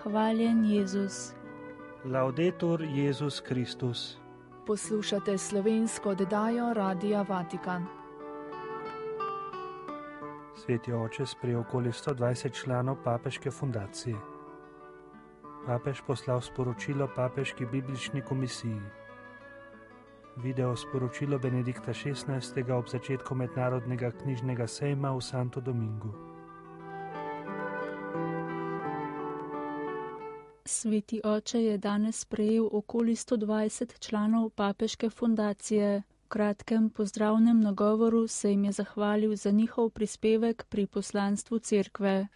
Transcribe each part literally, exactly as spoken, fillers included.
hvaljen Jezus. Laudetur Jezus Kristus. Poslušate slovensko oddajo Radia Vatikan. Sveti oče sprejel okoli sto dvajset članov papeške fundacije. Papež poslal sporočilo papeški biblični komisiji. Video sporočilo Benedikta šestnajstega ob začetku mednarodnega knjižnega sejma v Santo Domingu. Sveti oče je danes sprejel okoli sto dvajset članov papeške fundacije. V kratkem pozdravnem nagovoru se jim je zahvalil za njihov prispevek pri poslanstvu cerkve.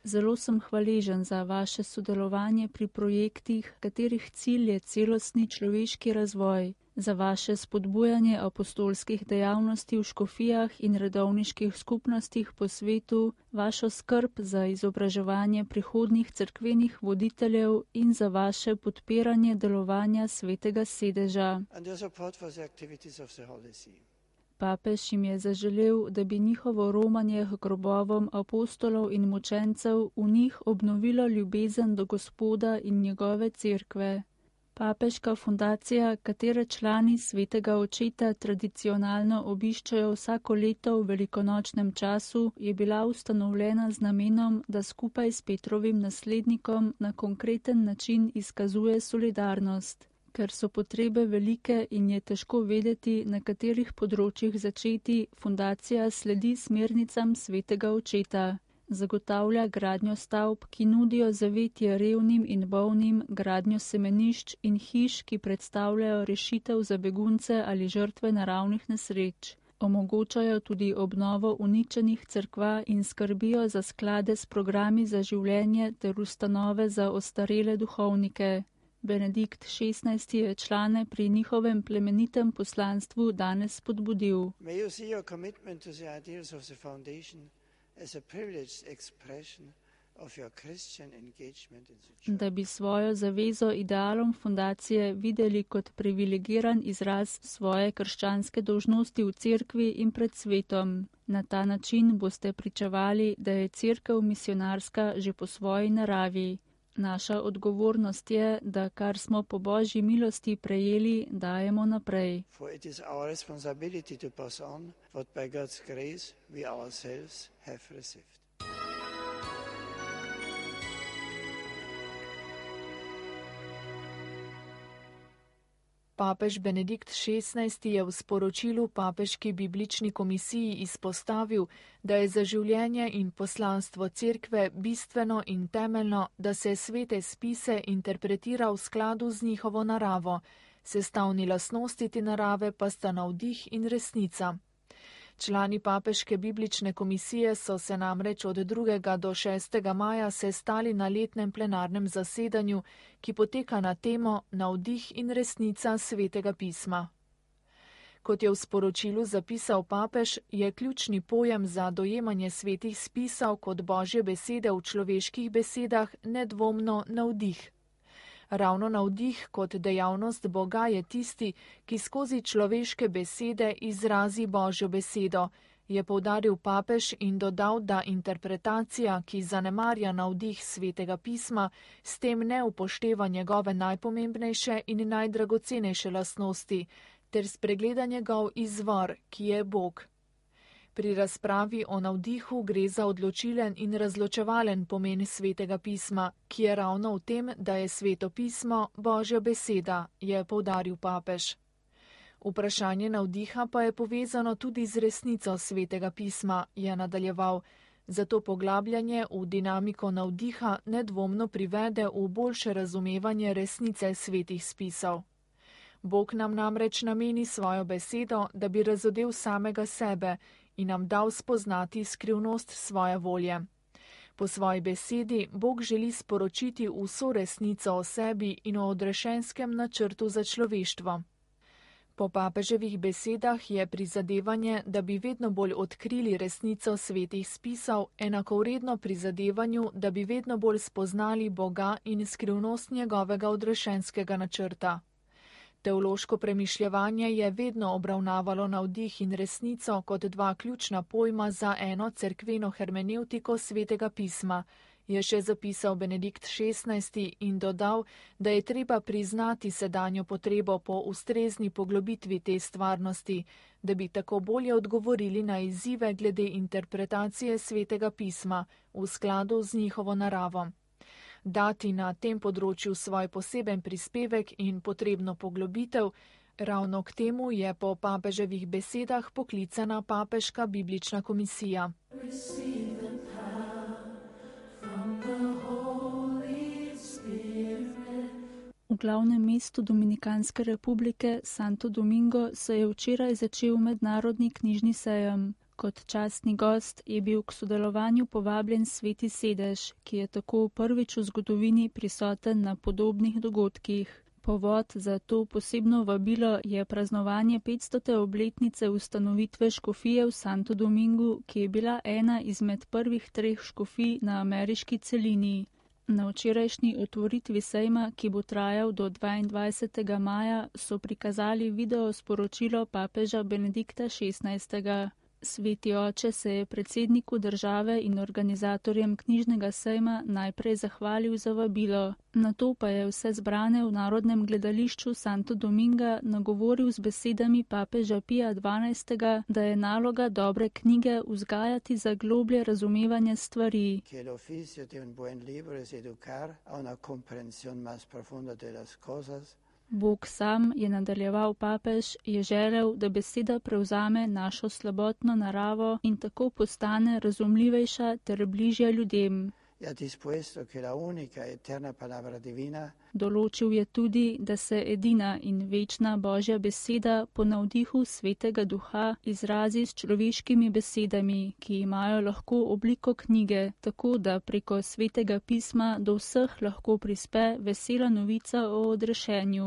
Zelo sem hvaležen za vaše sodelovanje pri projektih, katerih cilj je celostni človeški razvoj, za vaše spodbujanje apostolskih dejavnosti v škofijah in redovniških skupnostih po svetu, vašo skrb za izobraževanje prihodnjih cerkvenih voditeljev in za vaše podpiranje delovanja svetega sedeža. Papež jim je zaželel, da bi njihovo romanje k grobovom apostolov in mučencev v njih obnovilo ljubezen do Gospoda in njegove cerkve. Papeška fundacija, katere člani svetega očeta tradicionalno obiščajo vsako leto v velikonočnem času, je bila ustanovljena z namenom, da skupaj s Petrovim naslednikom na konkreten način izkazuje solidarnost. Ker so potrebe velike in je težko vedeti, na katerih področjih začeti, fundacija sledi smernicam svetega očeta. Zagotavlja gradnjo stavb, ki nudijo zavetje revnim in bolnim, gradnjo semenišč in hiš, ki predstavljajo rešitev za begunce ali žrtve naravnih nesreč. Omogočajo tudi obnovo uničenih cerkva in skrbijo za sklade s programi za življenje ter ustanove za ostarele duhovnike. Benedikt šestnajsti je člane pri njihovem plemenitem poslanstvu danes spodbudil. Da bi svojo zavezo idealom fundacije videli kot privilegiran izraz svoje krščanske dolžnosti v cerkvi in pred svetom. Na ta način boste pričevali, da je cerkev misionarska že po svoji naravi. Naša odgovornost je, da kar smo po Božji milosti prejeli, dajemo naprej. Papež Benedikt šestnajsti je v sporočilu papeški biblični komisiji izpostavil, da je za življenje in poslanstvo cerkve bistveno in temeljno, da se svete spise interpretira v skladu z njihovo naravo, sestavni lastnosti te narave pa sta navdih in resnica. Člani papeške biblične komisije so se namreč od drugega do šestega maja sestali na letnem plenarnem zasedanju, ki poteka na temo Navdih in resnica svetega pisma. Kot je v sporočilu zapisal papež, je ključni pojem za dojemanje svetih spisov kot Božje besede v človeških besedah nedvomno navdih. Ravno navdih kot dejavnost Boga je tisti, ki skozi človeške besede izrazi Božjo besedo, je poudaril papež in dodal, da interpretacija, ki zanemarja navdih svetega pisma, s tem ne upošteva njegove najpomembnejše in najdragocenejše lastnosti, ter spregleda njegov izvor, ki je Bog. Pri razpravi o navdihu gre za odločilen in razločevalen pomen svetega pisma, ki je ravno v tem, da je sveto pismo Božja beseda, je poudaril papež. Vprašanje navdiha pa je povezano tudi z resnico svetega pisma, je nadaljeval, zato poglabljanje v dinamiko navdiha nedvomno privede v boljše razumevanje resnice svetih spisov. Bog nam namreč nameni svojo besedo, da bi razodel samega sebe in nam dal spoznati skrivnost svoje volje. Po svoji besedi Bog želi sporočiti vso resnico o sebi in o odrešenskem načrtu za človeštvo. Po papeževih besedah je prizadevanje, da bi vedno bolj odkrili resnico svetih spisov, enakovredno prizadevanju, da bi vedno bolj spoznali Boga in skrivnost njegovega odrešenskega načrta. Teološko premišljevanje je vedno obravnavalo navdih in resnico kot dva ključna pojma za eno cerkveno hermenevtiko svetega pisma, je še zapisal Benedikt šestnajsti in dodal, da je treba priznati sedanjo potrebo po ustrezni poglobitvi te stvarnosti, da bi tako bolje odgovorili na izzive glede interpretacije svetega pisma v skladu z njihovo naravo. Dati na tem področju svoj poseben prispevek in potrebno poglobitev, ravno k temu je po papeževih besedah poklicana Papeška biblična komisija. V glavnem mestu Dominikanske republike Santo Domingo se je včeraj začel mednarodni knjižni sejem. Kot častni gost je bil k sodelovanju povabljen Sveti sedež, ki je tako prvič v zgodovini prisoten na podobnih dogodkih. Povod za to posebno vabilo je praznovanje petstote obletnice ustanovitve škofije v Santo Domingu, ki je bila ena izmed prvih treh škofij na ameriški celini. Na včerajšnji otvoritvi sejma, ki bo trajal do dvaindvajsetega maja, so prikazali video sporočilo papeža Benedikta šestnajstega. Sveti oče se je predsedniku države in organizatorjem knjižnega sejma najprej zahvalil za vabilo, nato pa je vse zbrane v Narodnem gledališču Santo Dominga nagovoril z besedami papeža Pija dvanajstega, da je naloga dobre knjige vzgajati za globlje razumevanje stvari. Bog sam, je nadaljeval papež, je želel, da beseda prevzame našo slabotno naravo in tako postane razumljivejša ter bližja ljudem. Določil je tudi, da se edina in večna Božja beseda po navdihu Svetega Duha izrazi s človeškimi besedami, ki imajo lahko obliko knjige, tako da preko Svetega pisma do vseh lahko prispe vesela novica o odrešenju.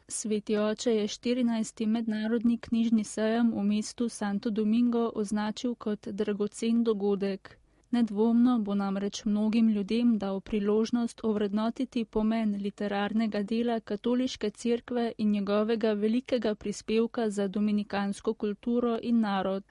Sveti oče je štirinajsti mednarodni knjižni sejem v mestu Santo Domingo označil kot dragocen dogodek. Nedvomno bo namreč mnogim ljudem dal priložnost ovrednotiti pomen literarnega dela katoliške cerkve in njegovega velikega prispevka za dominikansko kulturo in narod.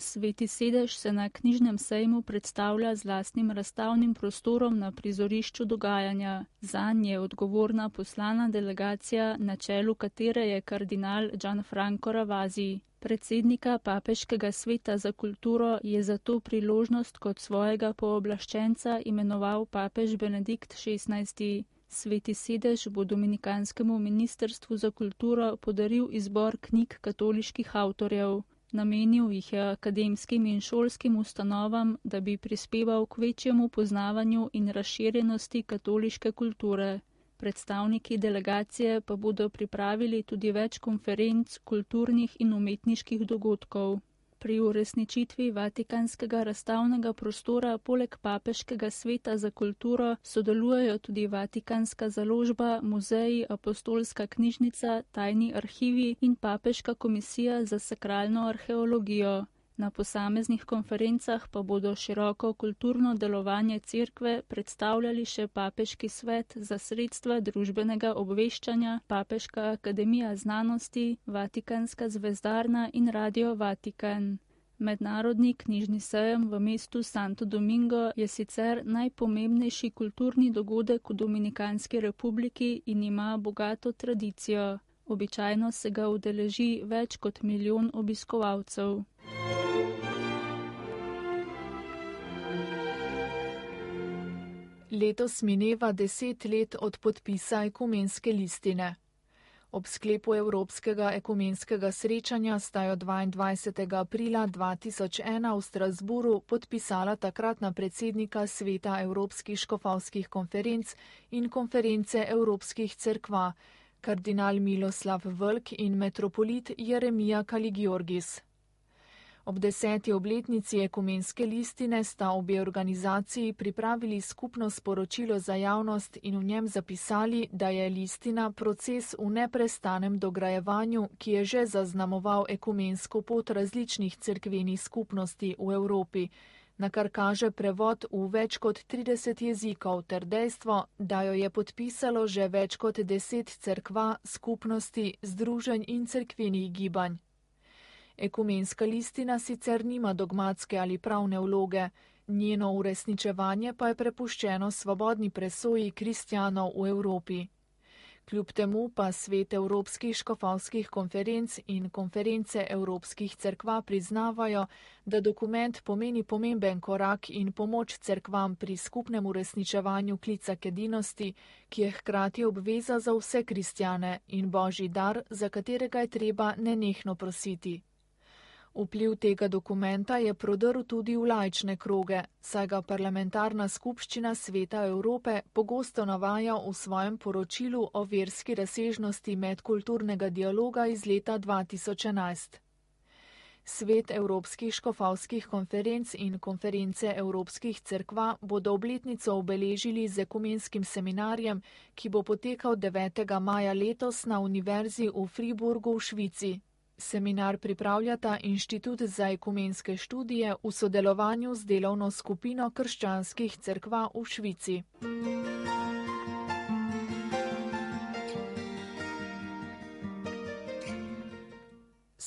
Sveti sedež se na knjižnem sejmu predstavlja z lastnim razstavnim prostorom na prizorišču dogajanja. Zanj je odgovorna poslana delegacija, na čelu katere je kardinal Gianfranco Ravasi. Predsednika Papeškega sveta za kulturo je za to priložnost kot svojega pooblaščenca imenoval papež Benedikt šestnajsti. Sveti sedež bo Dominikanskemu ministrstvu za kulturo podaril izbor knjig katoliških avtorjev. Namenil jih je akademskim in šolskim ustanovam, da bi prispeval k večjemu poznavanju in razširjenosti katoliške kulture. Predstavniki delegacije pa bodo pripravili tudi več konferenc, kulturnih in umetniških dogodkov. Pri uresničitvi Vatikanskega razstavnega prostora poleg Papeškega sveta za kulturo sodelujejo tudi Vatikanska založba, muzeji, apostolska knjižnica, tajni arhivi in Papeška komisija za sakralno arheologijo. Na posameznih konferencah pa bodo široko kulturno delovanje cerkve predstavljali še Papeški svet za sredstva družbenega obveščanja, Papeška akademija znanosti, Vatikanska zvezdarna in Radio Vatikan. Mednarodni knjižni sejem v mestu Santo Domingo je sicer najpomembnejši kulturni dogodek v Dominikanski republiki in ima bogato tradicijo. Običajno se ga udeleži več kot milijon obiskovalcev. Letos mineva deset let od podpisa ekumenske listine. Ob sklepu Evropskega ekumenskega srečanja sta jo dvaindvajsetega aprila dva tisoč ena v Strasburu podpisala takratna predsednika Sveta Evropskih škofovskih konferenc in konference Evropskih cerkva, kardinal Miloslav Vlk in metropolit Jeremija Kaligiorgis. Ob deseti obletnici ekumenske listine sta obe organizaciji pripravili skupno sporočilo za javnost in v njem zapisali, da je listina proces v neprestanem dograjevanju, ki je že zaznamoval ekumensko pot različnih cerkvenih skupnosti v Evropi, na kar kaže prevod v več kot trideset jezikov ter dejstvo, da jo je podpisalo že več kot deset cerkva, skupnosti, združenj in cerkvenih gibanj. Ekumenska listina sicer nima dogmatske ali pravne vloge, njeno uresničevanje pa je prepuščeno svobodni presoji kristjanov v Evropi. Kljub temu pa svet Evropskih škofovskih konferenc in konference Evropskih cerkva priznavajo, da dokument pomeni pomemben korak in pomoč cerkvam pri skupnem uresničevanju klica k edinosti, ki je hkrati obveza za vse kristjane in božji dar, za katerega je treba nenehno prositi. Vpliv tega dokumenta je prodrl tudi v laične kroge, saj ga parlamentarna skupščina Sveta Evrope pogosto navaja v svojem poročilu o verski razsežnosti medkulturnega dialoga iz leta dva tisoč enajst. Svet Evropskih škofovskih konferenc in konference Evropskih cerkva bodo obletnico obeležili z ekumenskim seminarjem, ki bo potekal devetega maja letos na Univerzi v Friburgu v Švici. Seminar pripravljata Inštitut za ekumenske študije v sodelovanju z delovno skupino krščanskih cerkva v Švici.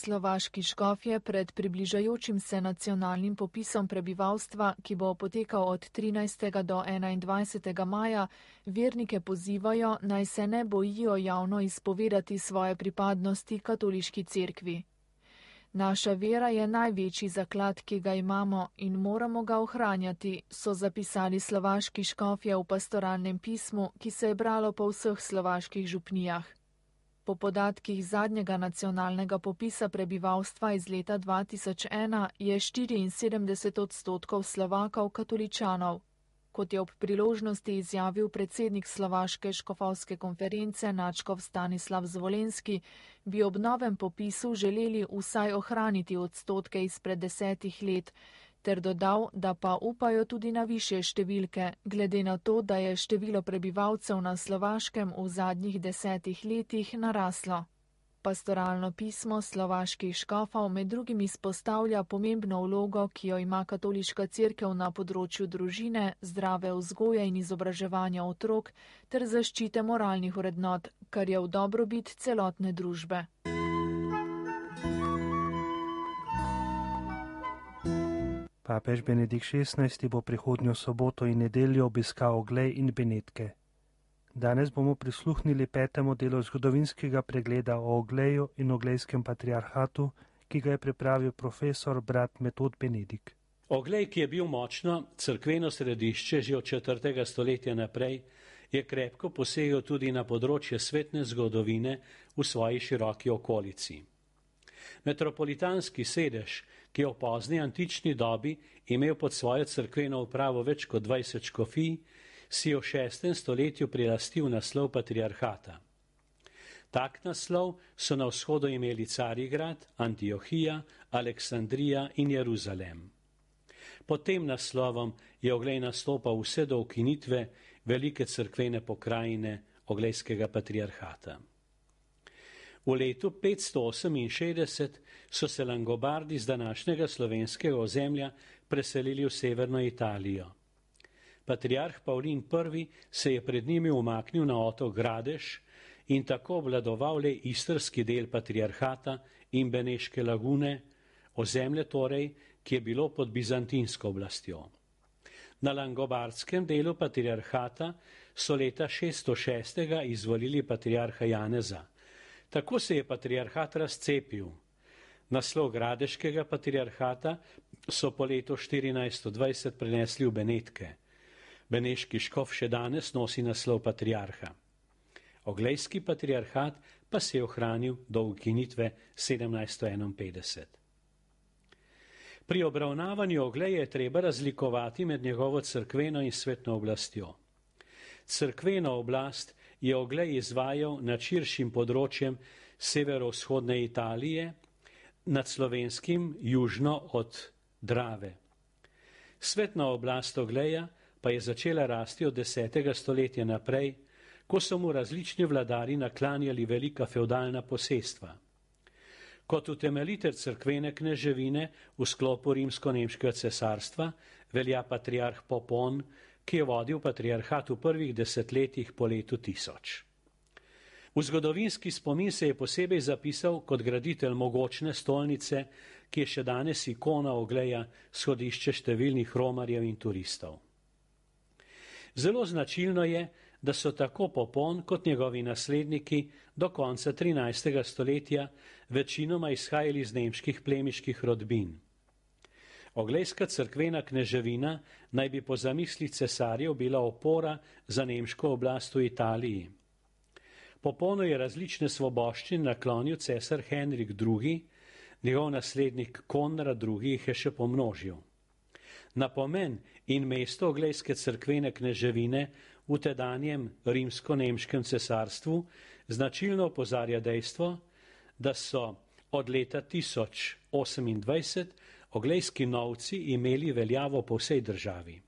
Slovaški škofje pred približajočim se nacionalnim popisom prebivalstva, ki bo potekal od trinajstega do enaindvajsetega maja, vernike pozivajo, naj se ne bojijo javno izpovedati svoje pripadnosti katoliški cerkvi. Naša vera je največji zaklad, ki ga imamo in moramo ga ohranjati, so zapisali slovaški škofje v pastoralnem pismu, ki se je bralo po vseh slovaških župnijah. Po podatkih zadnjega nacionalnega popisa prebivalstva iz leta dva tisoč ena je štiriinsedemdeset odstotkov Slovakov katoličanov. Kot je ob priložnosti izjavil predsednik Slovaške škofovske konference nadškof Stanislav Zvolenski, bi ob novem popisu želeli vsaj ohraniti odstotke izpred desetih let, ter dodal, da pa upajo tudi na višje številke, glede na to, da je število prebivalcev na Slovaškem v zadnjih desetih letih naraslo. Pastoralno pismo slovaških škofov med drugim izpostavlja pomembno vlogo, ki jo ima katoliška cerkev na področju družine, zdrave vzgoje in izobraževanja otrok ter zaščite moralnih vrednot, kar je v dobrobit celotne družbe. Papež Benedikt šestnajsti bo prihodnjo soboto in nedeljo obiskal Oglej in Benetke. Danes bomo prisluhnili petemu delu zgodovinskega pregleda o Ogleju in Oglejskem patriarhatu, ki ga je pripravil profesor brat Metod Benedikt. Oglej, ki je bil močno cerkveno središče že od četrtega stoletja naprej, je krepko posegel tudi na področje svetne zgodovine v svoji široki okolici. Metropolitanski sedež, ki je v pozni antični dobi imel pod svojo cerkveno upravo več kot dvajset škofij, si je v šestem stoletju prilastil naslov patriarhata. Tak naslov so na vzhodu imeli Carigrad, Antiohija, Aleksandrija in Jeruzalem. Pod tem naslovom je Oglej nastopal vse do ukinitve velike cerkvene pokrajine Oglejskega patriarhata. V letu petsto oseminšestdeset so se Langobardi z današnjega slovenskega ozemlja preselili v severno Italijo. Patriarh Pavlin prvi se je pred njimi umaknil na otok Gradež in tako obvladoval le istrski del patriarhata in Beneške lagune, ozemlje torej, ki je bilo pod bizantinsko oblastjo. Na langobardskem delu patriarhata so leta šeststo šestega izvolili patriarha Janeza. Tako se je patriarhat razcepil. Naslov Gradeškega patriarhata so po letu štirinajststo dvajset prenesli v Benetke. Beneški škof še danes nosi naslov patriarha. Oglejski patriarhat pa se je ohranil do ukinitve sedemnajststo enainpetdeset. Pri obravnavanju Ogleja je treba razlikovati med njegovo cerkveno in svetno oblastjo. Cerkveno oblast je Oglej izvajal nad širšim področjem severovzhodne Italije, nad Slovenskim južno od Drave. Svetna oblast Ogleja pa je začela rasti od desetega stoletja naprej, ko so mu različni vladari naklanjali velika feudalna posestva. Kot utemeljitelj cerkvene kneževine v sklopu rimsko-nemškega cesarstva velja patriarh Popon, ki je vodil patriarhat v prvih desetletjih po letu tisoč. V zgodovinski spomin se je posebej zapisal kot graditelj mogočne stolnice, ki je še danes ikona Ogleja, shodišče številnih romarjev in turistov. Zelo značilno je, da so tako Popon kot njegovi nasledniki do konca trinajstega stoletja večinoma izhajali iz nemških plemiških rodbin. Oglejska cerkvena kneževina naj bi po zamisli cesarjev bila opora za nemško oblast v Italiji. Poponu je različne svoboščine naklonil cesar Henrik drugi, njegov naslednik Konrad drugi jih je še pomnožil. Na pomen in mesto oglejske cerkvene kneževine v tedanjem rimsko-nemškem cesarstvu značilno opozarja dejstvo, da so od leta tisoč osemindvajset oglejski novci imeli veljavo po vsej državi.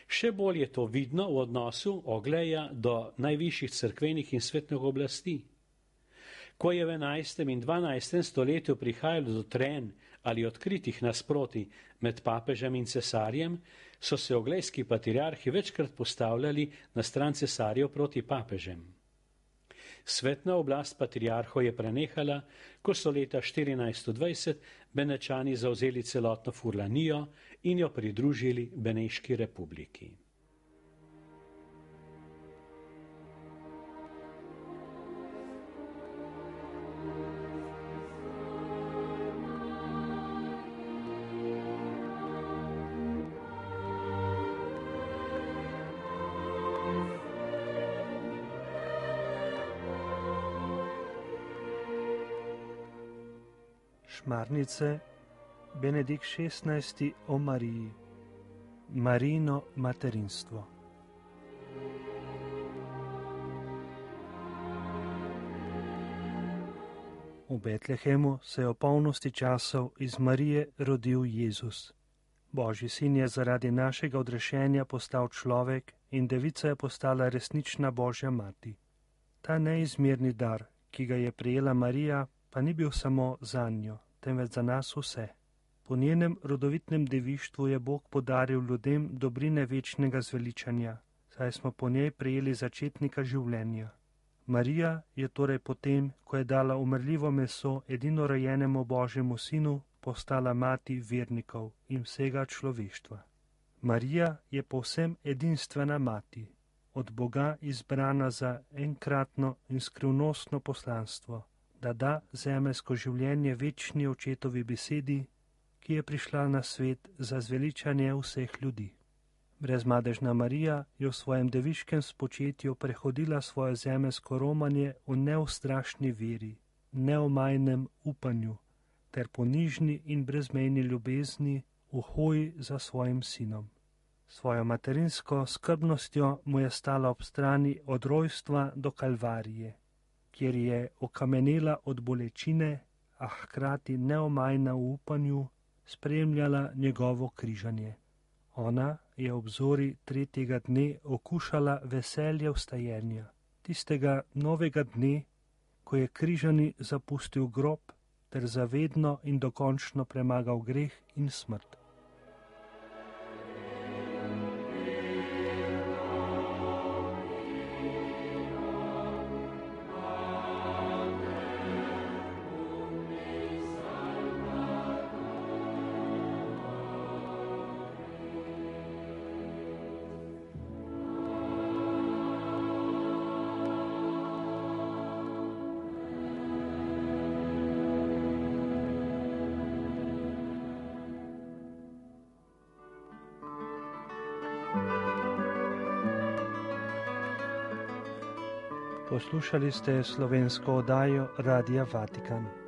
Še bolj je to vidno v odnosu Ogleja do najvišjih cerkvenih in svetnih oblasti. Ko je v enajstem in dvanajstem stoletju prihajalo do trenj ali odkritih nasprotij med papežem in cesarjem, so se oglejski patriarhi večkrat postavljali na stran cesarjev proti papežem. Svetna oblast patriarhov je prenehala, ko so leta štirinajststo dvajset Benečani zavzeli celotno Furlanijo in jo pridružili Beneški republiki. Šmarnice, Benedikt šestnajsti o Mariji, Marijino materinstvo. V Betlehemu se je v polnosti časov iz Marije rodil Jezus. Božji sin je zaradi našega odrešenja postal človek in devica je postala resnična Božja mati. Ta neizmerni dar, ki ga je prejela Marija, pa ni bil samo zanjo, temveč za nas vse. Po njenem rodovitnem devištvu je Bog podaril ljudem dobrine večnega zveličanja, saj smo po njej prejeli začetnika življenja. Marija je torej potem, ko je dala umrljivo meso edinorojenemu Božjemu sinu, postala mati vernikov in vsega človeštva. Marija je povsem edinstvena mati, od Boga izbrana za enkratno in skrivnostno poslanstvo, da da zemeljsko življenje večni očetovi besedi, ki je prišla na svet za zveličanje vseh ljudi. Brezmadežna Marija je v svojem deviškem spočetju prehodila svoje zemeljsko romanje v neustrašni veri, neomajnem upanju ter ponižni in brezmejni ljubezni v hoji za svojim sinom. Svojo materinsko skrbnostjo mu je stala ob strani od rojstva do Kalvarije, kjer je okamenela od bolečine, a hkrati neomajna v upanju, spremljala njegovo križanje. Ona je ob zori tretjega dne okušala veselje vstajenja, tistega novega dne, ko je križani zapustil grob ter zavedno in dokončno premagal greh in smrt. Poslušali ste slovensko oddajo Radia Vatikan.